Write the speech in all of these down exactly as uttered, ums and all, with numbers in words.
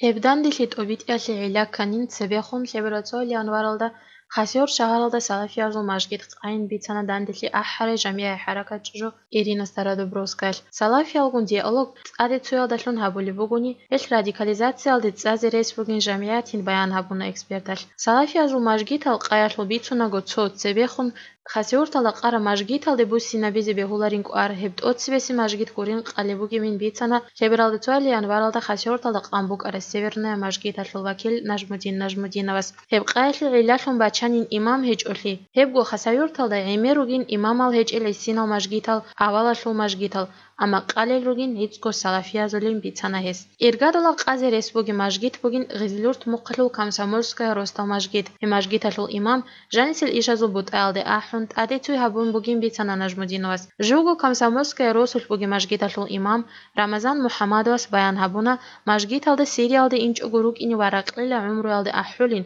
Гьеб данделъи тӀобитӀиялъе гӀилла кканин цебехун лъеберацӀоли январалда Хасавюрт шагьаралда салафиязул мажгит къайин бицана данделъи ахӀарай жамигӀи хӀаракат чӀужу Ирина Стародубровскаялъ. Салафиялгун диалог тӀаде цоялдалъун гьабулеб бугони, гьелъ радикализациялде цӀазе рес бугин жамигӀатин баян гьабуна эксперталъ. Салафиязул мажгитал къаялъул бицунаго цо цебехун Хасавюрталда къара мажгиталде буссинабизе бегьуларин кӀвар, гьеб тӀоцебесеб мажгит гурин къалеб бугебин бицана лъебералда цоял январалда Хасавюрталда къан букӀарай Северная мажгиталъул вакил Нажмудин Нажмудиновас. Гьеб къаялъе гӀиллалъун бачанин имам гьечӀолъи, гьебго Хасавюрталда гӀемер ругин имамал гьечӀел гӀисинал мажгитал, авалалъул мажгитал, амма къалел ругин гӀицӀго салафиязулин бицана гьес. Иргадала къазе рес бугеб мажгит бугин Гъизлюрт мухъалъул Комсомольская росдал мажгит. Гьеб мажгиталъул имам жанисел ишазул бутӀаялде ахӀун, тӀаде цуй гьабун бугин бицана Нажмудиновас. Живго Комсомольская росулъ бугеб мажгиталъул имам Рамазан МухӀаммадовас баян гьабуна, мажгиталда Сириялде инчӀого рукӀине ва ракьила гӀумруялде ахӀулин.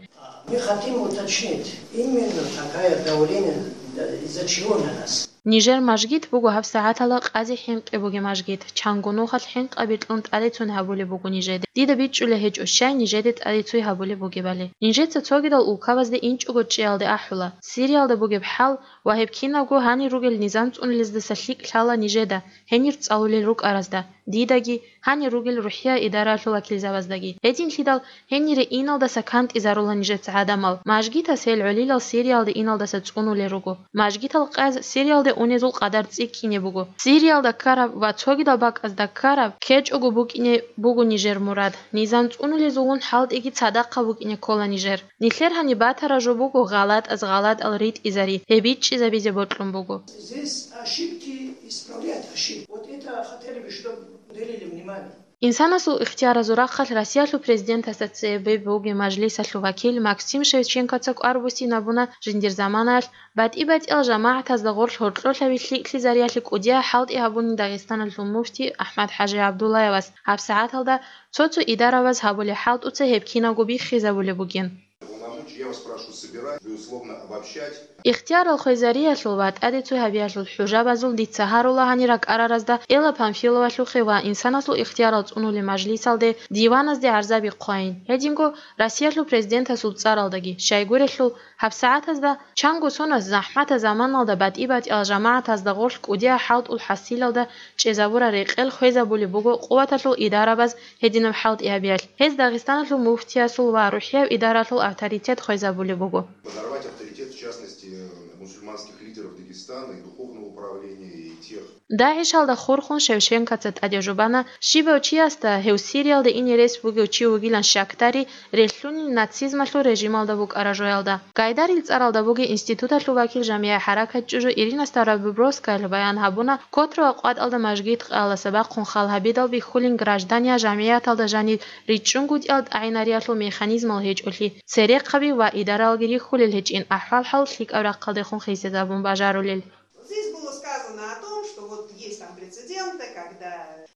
Мы хотим уточнить, именно такое давление, э, из-за чего на нас? Нижер мажгит буго гьабсагӀатала къазе хӀинкъи бугеб мажгит, чанго нухалъ хӀинкъаби кьун тӀадецун гьабулеб буго нижеде. Дида бичӀчӀулеб гьечӀо щай нижеде тӀадецуй гьабулеб бугебали. Нижеца цогидал улкабазде инчӀого чӀиялде ахӀула. Сириялда бугеб хӀал ва гьеб кинабго гьанир ругел низам цӀунулездаса лъикӀ лъала нижеда, гьенир цӀалулел рукӀаразда, дидаги, гьанир ругел рухӀия идаралъул вакилзабаздаги. Гьединлъидал гьенире иналдаса кантӀизарула нижеца гӀадамал. Мажгитас гьел гӀолилал Сириялде иналдаса цӀунулел руго. Мажгитал къаз Сириялде унезул къадар цӀикӀкӀине буго. Сириялда ккараб ва цогидал бакӀазда ккараб ккечӀого букӀине буго нижер мурад. Низам цӀунулезулгун хӀалтӀиги цадахъа букӀине ккола нижер. Нилъер гьаниб батараб жо буго гъалатӀаз гъалатӀал ритӀизари, гьеб бичӀчӀизабизе бокьун буго. Здесь ошибки исправлять ошибки. Вот это хотели бы, чтобы уделили внимание. Инсанасул ихтияразул рахъалъ Россиялъул президентасда цебе бугеб мажлисалъул вакил Максим Шевченкоца кӀвар буссинабуна жиндир заманаялъ батӀи-батӀиял жамагӀатазда гъорлъ гьоркьолъаби лъикӀлъизариялъе кӀудияб хӀалтӀи гьабунин Дагъистаналъул муфти АхӀмад-ХӀажи ГӀабдуллаевас. ГьабсагӀаталда цо-цо идарабаз гьабулеб хӀалтӀуца гьеб кинабго биххизабулеб бугин. Полномочия, я вас прошу собирать, безусловно, обобщать. Ихтиярал хвезариялъул ва тӀаде цуй гьабиялъул хӀужабазул дица гьарула гьанир ракӀараразда Элла Памфиловалъухъе ва инсанасул ихтиярал цӀунулел мажлисалде, диваназде гӀарзаби хъвайин. Гьединго Россиялъул президентасул цӀаралдаги, щайгурелъул, гьабсагӀатазда чанго соназ захӀматаб заманалда батӀи-батӀиял жамагӀатазда гъорлъ кӀудияб хӀалтӀул хӀасилалда чӀезабураб рекъел хвезабулеб буго къуваталъул идарабаз гьединаб хӀалтӀи гьабиялъ. Гьез Дагъистаналъул муфтиясул ва рухӀияб идаралъул авторитет хвезабулеб буго. Подорвать авторитет, в частности, мусульманских лидеров Дагестана и духовного управления, и тех. ДагӀишалда хурхун Шевченкоца тӀаде жубана, щибав чиясда гьев Сириялда ине рес бугев чи вугилан щакдари, релълъунин нацизмалъул режималда букӀараб жоялда. Гайдарил цӀаралда бугеб институталъул вакил жамигӀи хӀаракат чӀужу Ирина Стародубровскаялъ баян гьабуна, котра ва къватӀалда мажгит къаялдаса бахъун хал гьабидал бихьулин граждания жамигӀаталда жаниб ричӀчӀунгутӀиялда тӀагӀинариялъул механизмал гьечӀолъи, церехъаби ва идаралги рихьулел гьечӀин ахӀвал-хӀал лъикӀаб рахъалдехун хисизабун бажарулел. Здесь было сказано о том, что вот есть там прецеденты, когда.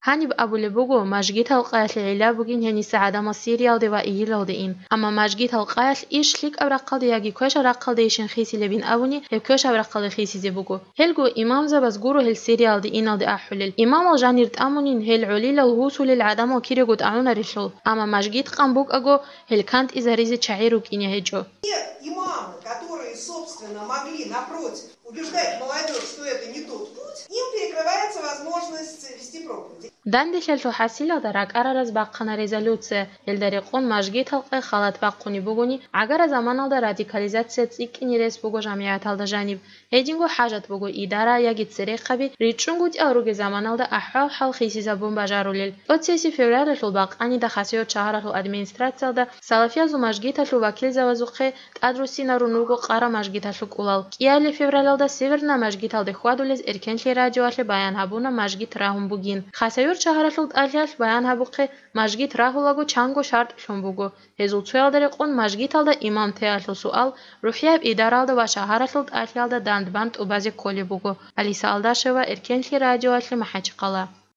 Гьаниб абулеб буго, мажгитал къаялъе гӀилла бугин гьениса гӀадамал Сириялде ва Игилалде ин. Амма мажгитал къаялъ иш лъикӀаб рахъалде яги квешаб рахъалдейищин хисилебин абуни, гьеб квешаб рахъалде хисизе буго. Гьелго имамзабаз гуро гьел Сириялде иналде ахӀулел. Имамал жанир тӀамунин гьел гӀолилал гьусулел гӀадамал кирего тӀагӀунарелъул, амма мажгит къан букӀаго, гьел кантӀизаризе чагӀи рукӀине гьечӀо. Те имамы, которые, собственно, могли, напротив, убеждать молодёжь, что это не тот путь, им перекрывается возможность вести проповедь. Данделъалъул хӀасилалда ракӀарараз бахъана резолюция. Гьелда рекъон мажгитал къай халат бахъунеб бугони, гӀагара заманалда радикализация цӀикӀкӀине рес буго жамигӀаталда жаниб. Гьединго хӀажат буго идара яги церехъаби ричӀчӀунгутӀиялда ругел заманалда ахӀвал-хӀал хисизабун бажарулел. ТӀоцебесеб февралалъул бакъанида Хасавюрт шагьаралъул администрациялда салафиязул мажгиталъул вакилзабазухъе тӀадруссинарун руго къара мажгиталъул кӀулал. КӀиабилеб февралалда Северная мажгиталде хьвадулез Эркенлъи радиоялъе баян гьабуна мажгит рагьун бугин. Хасавюрт шагьаралъул тӀалъиялъ баян гьабухъе, мажгит рагьулаго чанго шартӀ лъун буго. Гьезул цоялда рекъон мажгиталда имам теялъул суал рухӀияб идаралда ва шагьаралъул тӀалъиялда дандбан тӀубазе кколеб буго. Алиса Алдашева, Эркенлъи радиоялъе, МахӀачхъала.